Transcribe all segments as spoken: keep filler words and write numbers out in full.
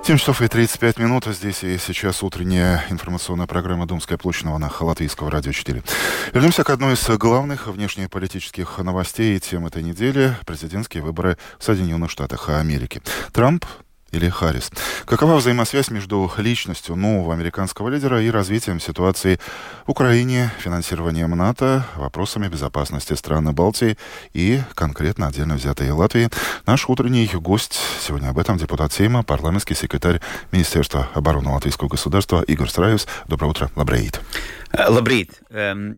семь часов и тридцать пять минут. Здесь и сейчас утренняя информационная программа «Думская площадь» на волнах Латвийского радио четыре. Вернемся к одной из главных внешнеполитических новостей и тем этой недели. Президентские выборы в Соединенных Штатах Америки. Трамп или Харрис? Какова взаимосвязь между личностью нового американского лидера и развитием ситуации в Украине, финансированием НАТО, вопросами безопасности стран Балтии и конкретно отдельно взятой Латвии? Наш утренний гость сегодня об этом депутат Сейма, парламентский секретарь Министерства обороны Латвийского государства Игорь Страевс. Доброе утро, лабрейт. Лабрейт. Um...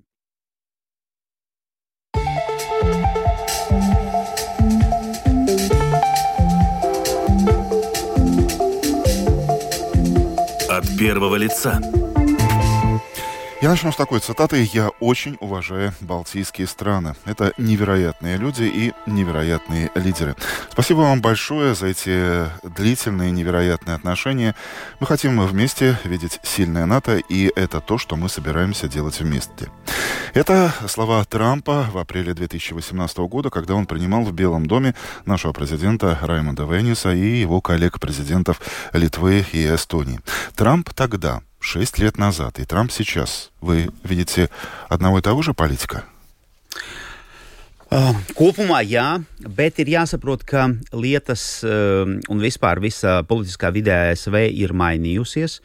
От первого лица. Я начну с такой цитаты. «Я очень уважаю балтийские страны. Это невероятные люди и невероятные лидеры. Спасибо вам большое за эти длительные невероятные отношения. Мы хотим вместе видеть сильное НАТО, и это то, что мы собираемся делать вместе». Это слова Трампа в апреле две тысячи восемнадцатого года, когда он принимал в Белом доме нашего президента Раймонда Вейниса и его коллег-президентов Литвы и Эстонии. Трамп тогда, шесть лет назад, и Трамп сейчас. Вы видите одного и того же политика? Uh, kopumā jā, bet ir jāsaprot, ka lietas uh, un vispār visa politiskā vidē A S V ir mainījusies.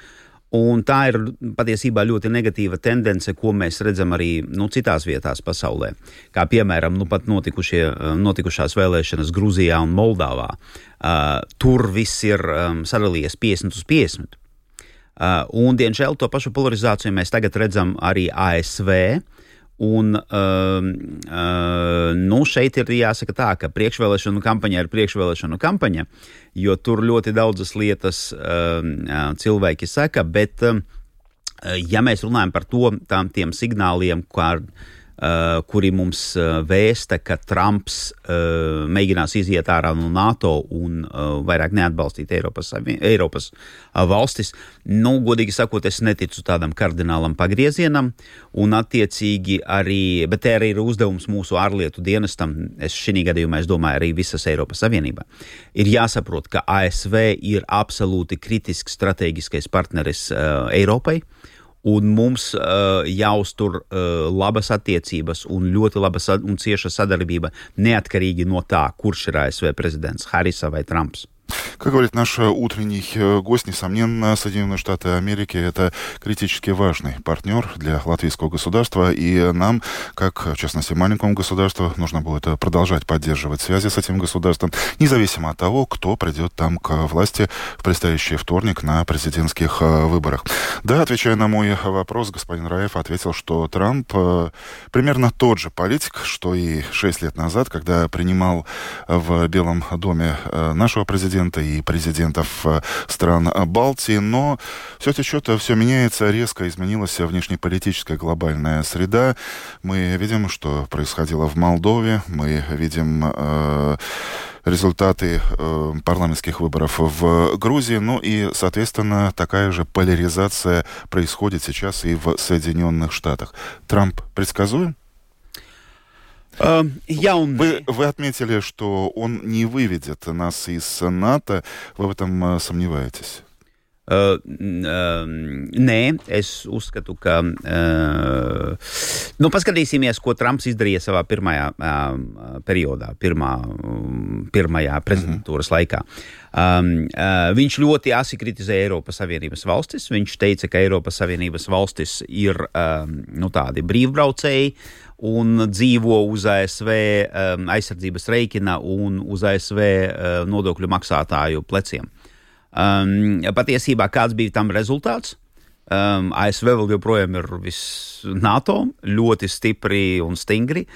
Un tā ir patiesībā ļoti negatīva tendence, ko mēs redzam arī nu, citās vietās pasaulē. Kā piemēram, nu, pat notikušās vēlēšanas Gruzijā un Moldāvā. Uh, tur viss ir um, sadalījies piecdesmit uz piecdesmit. Uh, un, diemžēl, to pašu polarizāciju mēs tagad redzam arī A S V. Un, uh, uh, nu, šeit ir jāsaka tā, ka priekšvēlēšanu kampaņa ir priekšvēlēšanu kampaņa, jo tur ļoti daudzas lietas uh, cilvēki saka, bet, uh, ja mēs runājam par to, tām tiem signāliem, kā Uh, kuri mums uh, vēsta, ka Trumps uh, mēģinās iziet ārā no NATO un uh, vairāk neatbalstīt Eiropas, Eiropas uh, valstis. Nu, godīgi sakot, es neticu tādam kardinālam pagriezienam, un attiecīgi arī, bet te arī ir uzdevums mūsu ārlietu dienestam, es šī gadījumā es domāju arī visas Eiropas Savienībā. Ir jāsaprot, ka A S V ir absolūti kritisks strateģiskais partneris uh, Eiropai, un mums uh, jāuztur uh, labas attiecības un ļoti laba sad- un cieša sadarbība neatkarīgi no tā, kurš ir A S V prezidents, Harrisa vai Trumps. Как говорит наш утренний гость, несомненно, Соединенные Штаты Америки — это критически важный партнер для латвийского государства, и нам, как, в частности, маленькому государству, нужно будет продолжать поддерживать связи с этим государством, независимо от того, кто придет там к власти в предстоящий вторник на президентских выборах. Да, отвечая на мой вопрос, господин Раев ответил, что Трамп примерно тот же политик, что и шесть лет назад, когда принимал в Белом доме нашего президента и президентов стран Балтии, но все течет, все меняется, резко изменилась внешнеполитическая глобальная среда. Мы видим, что происходило в Молдове, мы видим э, результаты э, парламентских выборов в Грузии, ну и, соответственно, такая же поляризация происходит сейчас и в Соединенных Штатах. Трамп предсказуем? Uh, ja un... вы, вы отметили, что он не выведет нас из НАТО. Вы в этом uh, сомневаетесь? Uh, uh, nē, es uzskatu, ka uh, nu, paskatīsimies, ko Trumps izdarīja savā pirmajā uh, periodā, pirmā, um, pirmajā prezidentūras mm-hmm. laikā. Um, uh, viņš ļoti asi kritizēja Eiropas Savienības valstis. Viņš teica, ka Eiropas Savienības valstis ir um, nu, tādi brīvbraucēji un dzīvo uz A S V um, aizsardzības reikina un uz A S V uh, nodokļu maksātāju pleciem. Um, patiesībā kāds bija tam rezultāts? Um, A S V vēl joprojām ir viss NATO, ļoti stipri un stingri,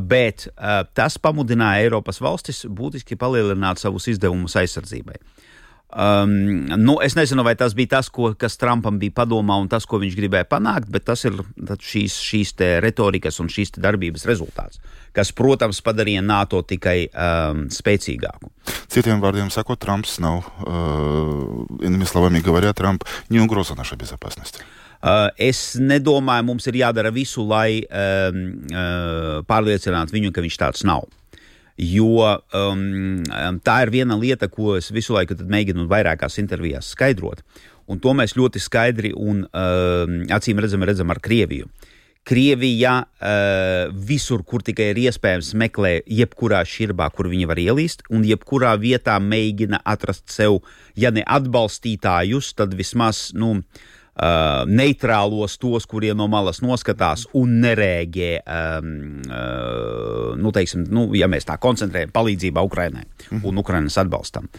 bet uh, tas pamudināja Eiropas valstis būtiski palielināt savus izdevumus aizsardzībai. Um, nu, es nezinu, vai tas bija tas, ko, kas Trumpam bija padomā un tas, ko viņš gribēja panākt, bet tas ir šīs, šīs te retorikas un šīs te darbības rezultāts, kas, protams, padarīja NATO tikai um, spēcīgāku. Citiem vārdiem sakot, Trumps nav, uh, iными словами говоря, Trump не угроза нашей безопасности. Uh, es nedomāju, mums ir jādara visu, lai um, uh, pārliecinātu viņu, ka viņš tāds nav. Jo um, tā ir viena lieta, ko es visu laiku tad mēģinu vairākās intervijās skaidrot. Un to mēs ļoti skaidri un uh, acīm redzam, redzam ar Krieviju. Krievija uh, visur, kur tikai ir iespējams, meklē jebkurā šķirbā, kur viņi var ielīst, un jebkurā vietā mēģina atrast sev, ja ne atbalstītājus, tad vismaz, nu, uh, neitrālos tos, kuriem no malas noskatās un nerēģē, um, uh, nu, teiksim, nu, ja mēs tā koncentrējam palīdzībā Ukrainai un Ukrainas atbalstam.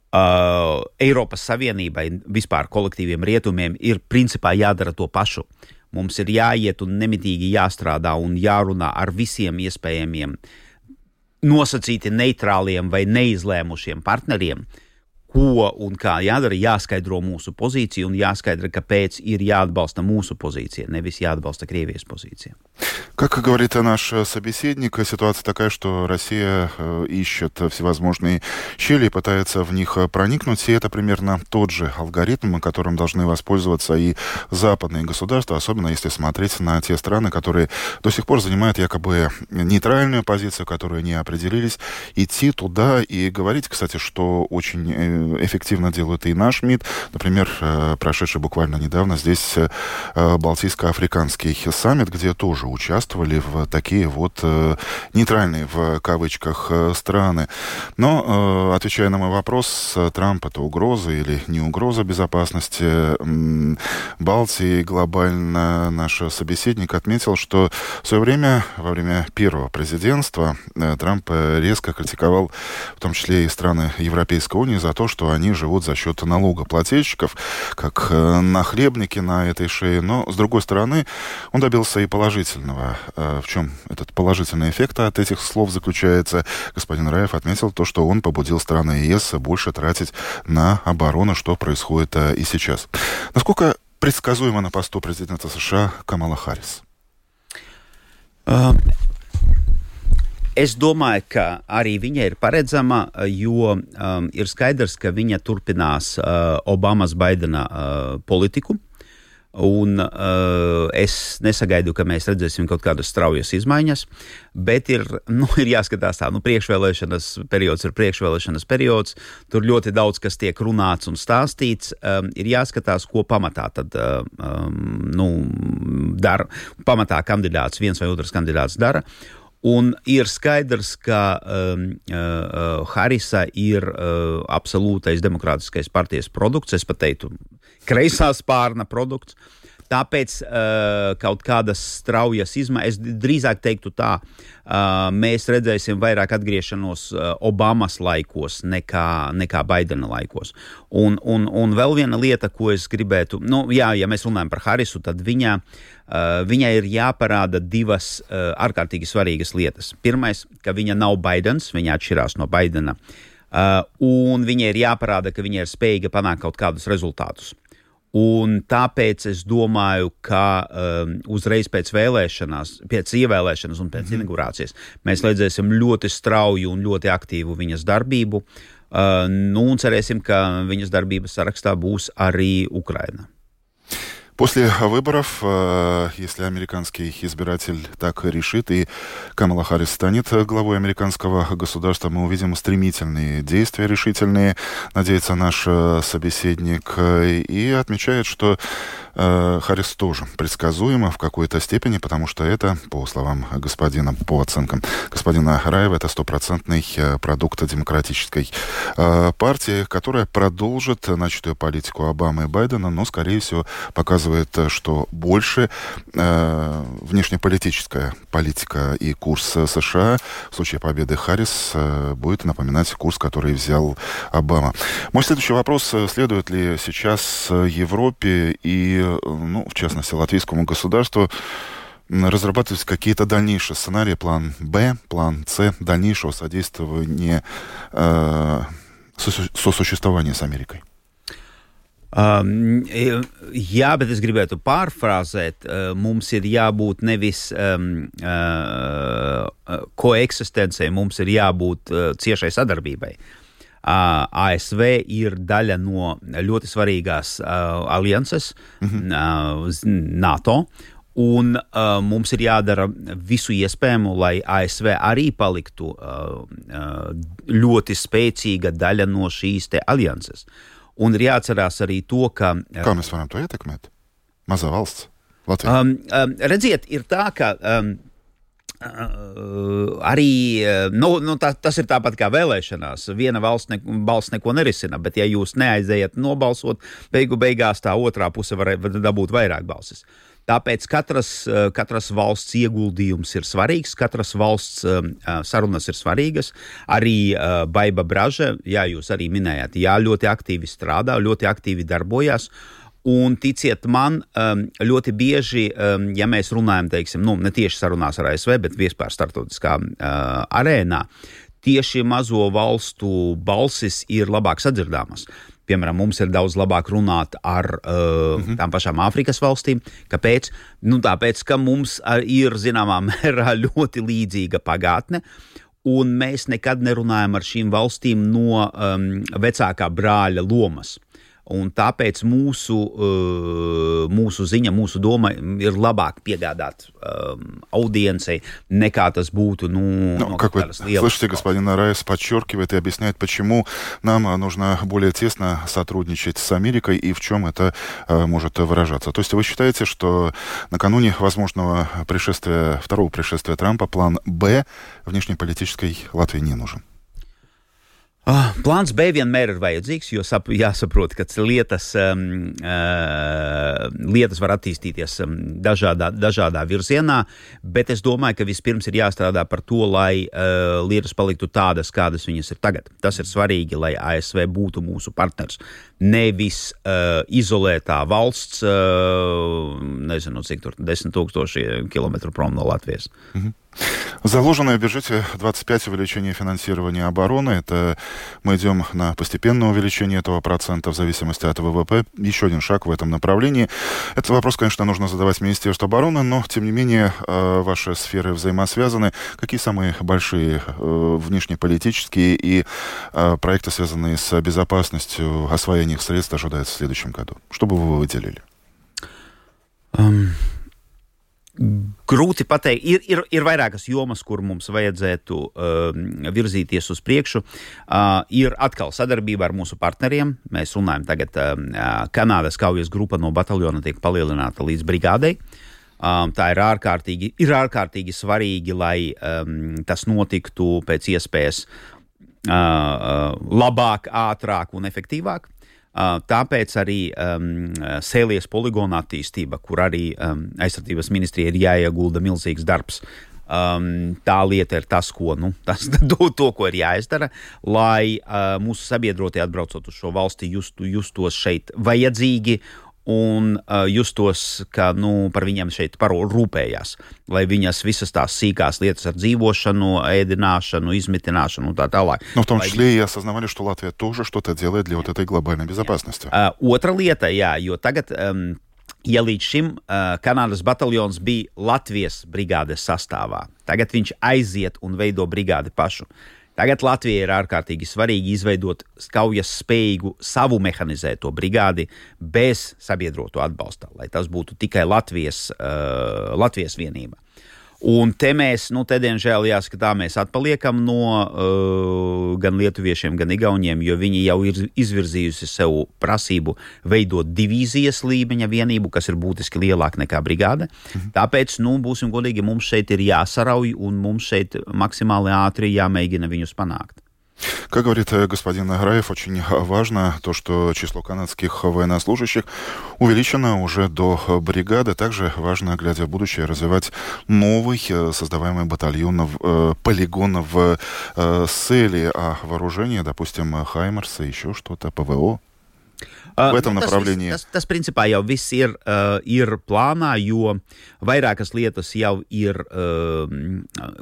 Uh, Eiropas Savienībai, vispār kolektīviem rietumiem, ir principā jādara to pašu. Mums ir jāiet un nemitīgi jāstrādā un jārunā ar visiem iespējamiem nosacīti neitrāliem vai neizlēmušiem partneriem, ko un kā jādara, jāskaidro mūsu pozīciju un jāskaidra, kāpēc ir jāatbalsta mūsu позиция, nevis jāatbalsta Krievijas позиция. Как говорит наш собеседник, ситуация такая, что Россия ищет всевозможные щели и пытается в них проникнуть, и это примерно тот же алгоритм, которым должны воспользоваться и западные государства, особенно если смотреть на те страны, которые до сих пор занимают якобы нейтральную позицию, которые не определились, идти туда и говорить, кстати, что очень эффективно делает и наш МИД. Например, прошедший буквально недавно здесь Балтийско-африканский саммит, где тоже участвовали в такие вот нейтральные, в кавычках, страны. Но, отвечая на мой вопрос, Трамп — это угроза или не угроза безопасности Балтии глобально, наш собеседник отметил, что в свое время, во время первого президентства, Трамп резко критиковал в том числе и страны Европейской унии за то, что они живут за счет налогоплательщиков, как нахлебники на этой шее. Но, с другой стороны, он добился и положительного. В чем этот положительный эффект от этих слов заключается? Господин Раев отметил то, что он побудил страны ЕС больше тратить на оборону, что происходит и сейчас. Насколько предсказуемо на посту президента США Камала Харрис? Es domāju, ka arī viņa ir paredzama, jo um, ir skaidrs, ka viņa turpinās uh, Obamas Baidena uh, politiku, un uh, es nesagaidu, ka mēs redzēsim kaut kādas straujas izmaiņas, bet ir, nu, ir jāskatās tā, nu, priekšvēlēšanas periods ir priekšvēlēšanas periods, tur ļoti daudz, kas tiek runāts un stāstīts, um, ir jāskatās, ko pamatā tad, um, nu, dara, pamatā kandidāts, viens vai otrs kandidāts dara. Un ir skaidrs, ka um, uh, Harrisa ir uh, absolūtais demokrātiskais partijas produkts, es pat teiktu, kreisā spārna produkts. Tāpēc uh, kaut kādas straujas izmaiņas, es drīzāk teiktu tā, uh, mēs redzēsim vairāk atgriešanos uh, Obamas laikos nekā, nekā Baidena laikos. Un, un, un vēl viena lieta, ko es gribētu, nu jā, ja mēs runājam par Harrisu, tad viņa, uh, viņai ir jāparāda divas uh, ārkārtīgi svarīgas lietas. Pirmais, ka viņa nav Baidens, viņa atšķirās no Baidena, uh, un viņai ir jāparāda, ka viņa ir spējīga panākt kaut kādus rezultātus. Un tāpēc es domāju, ka um, uzreiz pēc vēlēšanās, pēc ievēlēšanas un pēc mm-hmm. inaugurācijas mēs redzēsim ļoti strauju un ļoti aktīvu viņas darbību. Uh, nu, un cerēsim, ka viņas darbības sarakstā būs arī Ukraina. После выборов, если американский избиратель так решит, и Камала Харрис станет главой американского государства, мы увидим стремительные действия, решительные, надеется наш собеседник, и отмечает, что Харрис тоже предсказуемо в какой-то степени, потому что это, по словам господина, по оценкам господина Раева, это стопроцентный продукт демократической партии, которая продолжит начатую политику Обамы и Байдена, но, скорее всего, показывает, что больше э, внешнеполитическая политика и курс США в случае победы Харрис э, будет напоминать курс, который взял Обама. Мой следующий вопрос: следует ли сейчас Европе и, ну, в частности, латвийскому государству разрабатывать какие-то дальнейшие сценарии, план Б, план С, дальнейшего содействования э, сосуществования с Америкой? Um, jā, bet es gribētu pārfrāzēt, uh, mums ir jābūt nevis um, uh, koeksistencei, mums ir jābūt uh, ciešai sadarbībai. Uh, A S V ir daļa no ļoti svarīgās uh, alianses, mm-hmm. uh, NATO, Un uh, mums ir jādara visu iespējamo, lai A S V arī paliktu uh, uh, ļoti spēcīga daļa no šīs te alianses. Un ir jāatcerās arī to, ka... Uh, Kā mēs varam to ietekmēt? Mazā valsts, Latvija. Um, um, redziet, ir tā, ka... Um, Uh, arī nu, nu, tā, tas ir tāpat kā vēlēšanās. Viena valsts ne, balss neko nerisina, bet ja jūs neaizējat nobalsot, beigu beigās tā otrā puse var, var dabūt vairāk balsis. Tāpēc katras, katras valsts ieguldījums ir svarīgs, katras valsts uh, sarunas ir svarīgas. Arī uh, Baiba Braža, jā, jūs arī minējāt, jā, ļoti aktīvi strādā, ļoti aktīvi darbojās. Un ticiet man, ļoti bieži, ja mēs runājam, teiksim, nu, ne tieši sarunās ar A S V, bet vispār starptautiskā uh, arēnā, tieši mazo valstu balsis ir labāk sadzirdāmas. Piemēram, mums ir daudz labāk runāt ar uh, mm-hmm. tām pašām Āfrikas valstīm. Kāpēc? Nu, tāpēc, ka mums ir, zināmā mērā, ļoti līdzīga pagātne. Un mēs nekad nerunājam ar šīm valstīm no um, vecākā brāļa lomas. Un tāpēc mūsu, uh, mūsu ziņa, mūsu doma ir labāk piegādāt um, аудиенции, nekā tas būtu, ну, ну как вы слышите, господин Араес подчеркивает и объясняет, почему нам нужно более тесно сотрудничать с Америкой и в чем это uh, может выражаться. То есть вы считаете, что накануне возможного пришествия, второго пришествия Трампа план «Б» внешнеполитической Латвии не нужен? Uh, plāns B vienmēr ir vajadzīgs, jo sap, jāsaprot, ka lietas, um, uh, lietas var attīstīties um, dažādā, dažādā virzienā, bet es domāju, ka vispirms ir jāstrādā par to, lai uh, lietas paliktu tādas, kādas viņas ir tagad. Tas ir svarīgi, lai A S V būtu mūsu partners. Nevis uh, izolētā valsts, uh, nezinu, cik tur desmit tūkstoši kilometru prom no Latvijas. Mm-hmm. Заложенное в бюджете двадцать пять увеличение финансирования обороны. Это мы идем на постепенное увеличение этого процента в зависимости от ВВП. Еще один шаг в этом направлении. Этот вопрос, конечно, нужно задавать Министерству обороны, но, тем не менее, ваши сферы взаимосвязаны. Какие самые большие внешнеполитические и проекты, связанные с безопасностью, освоение их средств, ожидаются в следующем году? Что бы вы выделили? Um... Grūti pateikt, ir, ir, ir vairākas jomas, kur mums vajadzētu uh, virzīties uz priekšu. Uh, ir atkal sadarbība ar mūsu partneriem. Mēs runājam tagad, uh, Kanādas kaujas grupa no bataljona tiek palielināta līdz brigādei. Um, tā ir ārkārtīgi, ir ārkārtīgi svarīgi, lai um, tas notiktu pēc iespējas uh, uh, labāk, ātrāk un efektīvāk. Uh, tāpēc arī um, Sēlijas poligona attīstība, kur arī um, aizsardzības ministrija ir jāiegulda milzīgs darbs. Um, tā lieta ir tas, ko, nu, tas, to, to, ko ir jāizdara, lai uh, mūsu sabiedrotie atbraucot uz šo valsti justu, justos šeit vajadzīgi un uh, justos, ka nu, par viņiem šeit parūpējās, lai viņas visas tās sīkās lietas ar dzīvošanu, ēdināšanu, izmitināšanu un tā tālāk. Но в том числе lai... и осознавали, что Латвия тоже что-то делает для вот этой глобальной безопасности. Uh, otra lieta, jā, jo tagad, um, ja līdz šim uh, Kanādas bataljons bija Latvijas brigādes sastāvā, tagad viņš aiziet un veido brigādi pašu. Tagad Latvijai ir ārkārtīgi svarīgi izveidot kaujas spējīgu savu mehanizēto brigādi bez sabiedroto atbalsta, lai tas būtu tikai Latvijas, uh, Latvijas vienība. Un te mēs, nu, te diemžēl jāsaka tā, mēs atpaliekam no uh, gan lietuviešiem, gan igauniem, jo viņi jau ir izvirzījusi sev prasību veidot divīzijas līmeņa vienību, kas ir būtiski lielāka nekā brigāde. Mhm. Tāpēc, nu, būsim godīgi, mums šeit ir jāsarauj un mums šeit maksimāli ātri jāmēģina viņus panākt. Как говорит господин Араев, очень важно то, что число канадских военнослужащих увеличено уже до бригады. Также важно, глядя в будущее, развивать новый создаваемый батальон, полигон в Сēlijā, а вооружение, допустим, Хаймерсы, еще что-то, ПВО. В этом tas, направлении. Tas, tas, tas principā jau viss ir, uh, ir plānā, jo vairākas lietas jau ir, uh,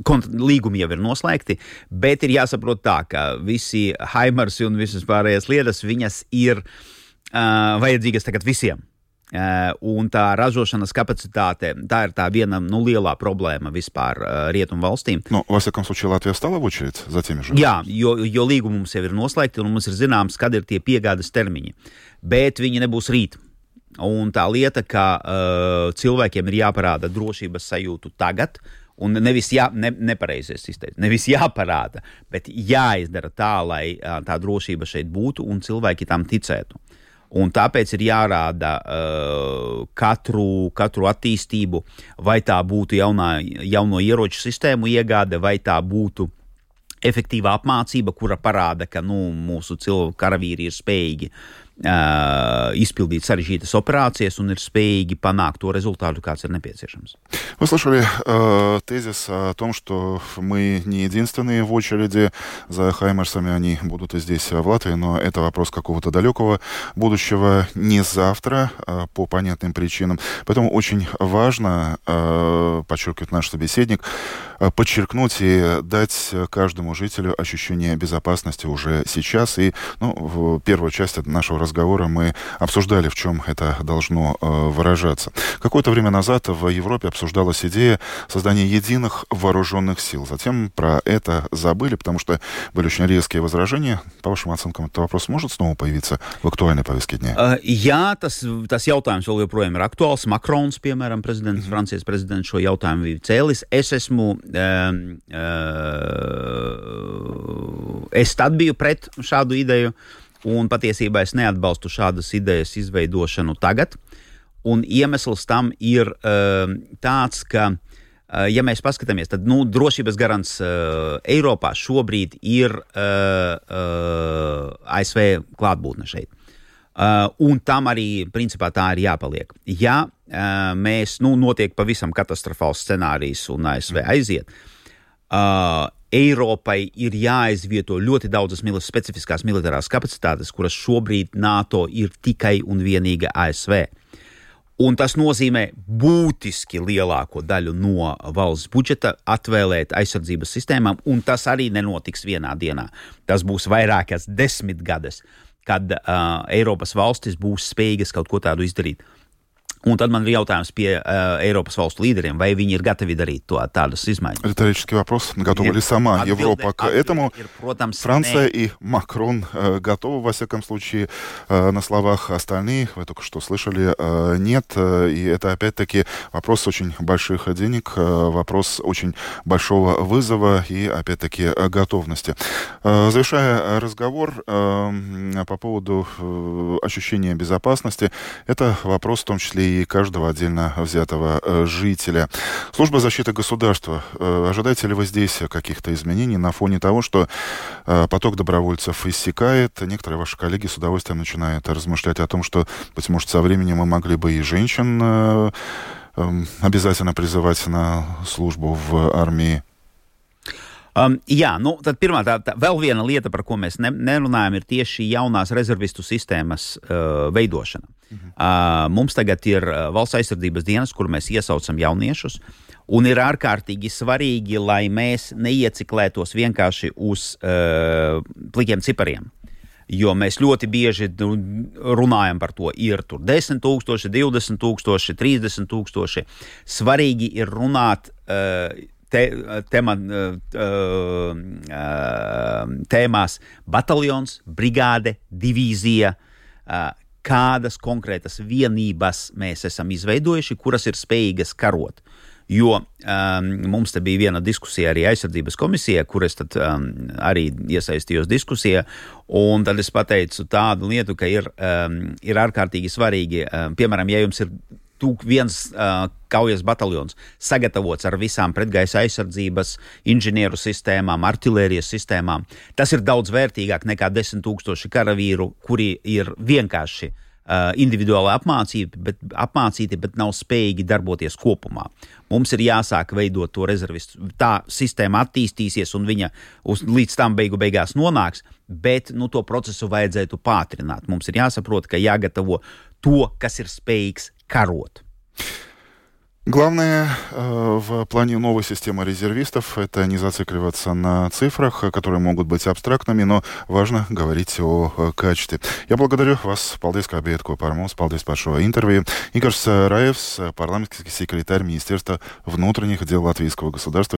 kont- līgumi jau ir noslēgti, bet ir jāsaprot tā, ka visi Haimarsi un visas pārējās lietas, viņas ir uh, vajadzīgas tagad visiem. Uh, un tā ražošanas kapacitāte, tā ir tā viena nu, lielā problēma vispār uh, rietumu valstīm. Но, во всяком случае, Латвия встала в очередь за теми же? Jā, jo, jo līgumi mums jau ir noslēgti un mums ir zināms, kad ir tie piegādes termiņi. Bet viņi nebūs rīt. Un tā lieta, ka uh, cilvēkiem ir jāparāda drošības sajūtu tagad, un nevis jā, ne, nepareizies izteikt, nevis jāparāda, bet jāizdara tā, lai uh, tā drošība šeit būtu un cilvēki tam ticētu. Un tāpēc ir jārāda uh, katru, katru attīstību, vai tā būtu jaunā, jauno ieroču sistēmu iegāde, vai tā būtu efektīva apmācība, kura parāda, ka nu, mūsu cilvēku karavīri ir spējīgi uh, изпildить sarežģītas операцijas un ir spējīgi panākt то результату, kāds ir необходимый. Вы слышали э, тезис о том, что мы не единственные в очереди за хаймерсами, они будут и здесь, в Латвии, но это вопрос какого-то далекого будущего, не завтра, э, по понятным причинам. Поэтому очень важно, э, подчеркивает наш собеседник, э, подчеркнуть и дать каждому жителю ощущение безопасности уже сейчас. И ну, в первую часть нашего разговора мы обсуждали, в чем это должно э, выражаться. Какое-то время назад в Европе обсуждалась идея создания единых вооруженных сил. Затем про это забыли, потому что были очень резкие возражения. По вашим оценкам, этот вопрос может снова появиться в актуальной повестке дня? Uh, jā, tas, tas jautājums vēl joprojām ir aktuāls. Makrons, piemēram, prezidents, mm-hmm. Francijas prezidents šo jautājumu bija cēlis. Es esmu, um, uh, es tad biju pret šādu ideju, un patiesībā es neatbalstu šādas idejas izveidošanu tagad. Un iemesls tam ir uh, tāds, ka, uh, ja mēs paskatāmies, tad nu, drošības garants uh, Eiropā šobrīd ir uh, uh, A S V klātbūtne šeit. Uh, un tam arī, principā, tā ir jāpaliek. Ja uh, mēs, nu, notiek pavisam katastrofāls scenārijs un A S V aiziet, uh, Eiropai ir jāizvieto ļoti daudzas mil- specifiskās militārās kapacitātes, kuras šobrīd NATO ir tikai un vienīgi A S V. Un tas nozīmē būtiski lielāko daļu no valsts budžeta atvēlēt aizsardzības sistēmām, un tas arī nenotiks vienā dienā. Tas būs vairākas desmitgades, kad uh, Eiropas valstis būs spējīgas kaut ko tādu izdarīt. Un tad man ir jautājums pie uh, Eiropas valstu līderiem, vai viņi ir gatavi darīt to, tādas изменения. Риторический вопрос. Готова ли сама Отбилде, Европа к этому? Ir, protams, Франция ne. и Макрон э, готовы, во всяком случае, э, на словах. Остальные, вы только что слышали, э, нет. Э, и это, опять-таки, вопрос очень больших денег, э, вопрос очень большого вызова и, опять-таки, э, готовности. Э, завершая разговор э, по поводу э, ощущения безопасности, это вопрос в том числе и каждого отдельно взятого э, жителя. Служба защиты государства. Э, ожидаете ли вы здесь каких-то изменений на фоне того, что э, поток добровольцев иссякает? Некоторые ваши коллеги с удовольствием начинают размышлять о том, что, быть может, со временем мы могли бы и женщин э, э, обязательно призывать на службу в армии. Um, jā, nu, tad pirmā tā, tā vēl viena lieta, par ko mēs ne, nerunājam, ir tieši jaunās rezervistu sistēmas uh, veidošana. Mhm. Uh, mums tagad ir uh, valsts aizsardzības dienas, kur mēs iesaucam jauniešus, un ir ārkārtīgi svarīgi, lai mēs neieciklētos vienkārši uz uh, plikiem cipariem. Jo mēs ļoti bieži runājam par to, ir tur desmit tūkstoši, divdesmit tūkstoši, trīsdesmit tūkstoši. Svarīgi ir runāt uh, Te, tema, tēmās bataljons, brigāde, divīzija, kādas konkrētas vienības mēs esam izveidojuši, kuras ir spējīgas karot. Jo um, mums te bija viena diskusija arī aizsardzības komisijā, kur es tad um, arī iesaistījos diskusijā, un tad es pateicu tādu lietu, ka ir, um, ir ārkārtīgi svarīgi, um, piemēram, ja jums ir tūk viens uh, kaujas bataljons sagatavots ar visām pretgaisa aizsardzības, inženieru sistēmām, artilērijas sistēmām. Tas ir daudz vērtīgāk nekā desmit tūkstoši karavīru, kuri ir vienkārši uh, individuāli apmācīti bet, apmācīti, bet nav spējīgi darboties kopumā. Mums ir jāsāk veidot to rezervistu. Tā sistēma attīstīsies un viņa uz, līdz tam beigu beigās nonāks, bet nu, to procesu vajadzētu pātrināt. Mums ir jāsaprot, ka jāgatavo to, kas ir spējīgs karot. Главное э, в плане новой системы резервистов — это не зацикливаться на цифрах, которые могут быть абстрактными, но важно говорить о э, качестве. Я благодарю вас, Paldies, kā bijāt kopā ar mums. Paldies par šo интервью. Игорь Раевс, парламентский секретарь Министерства внутренних дел Латвийского государства.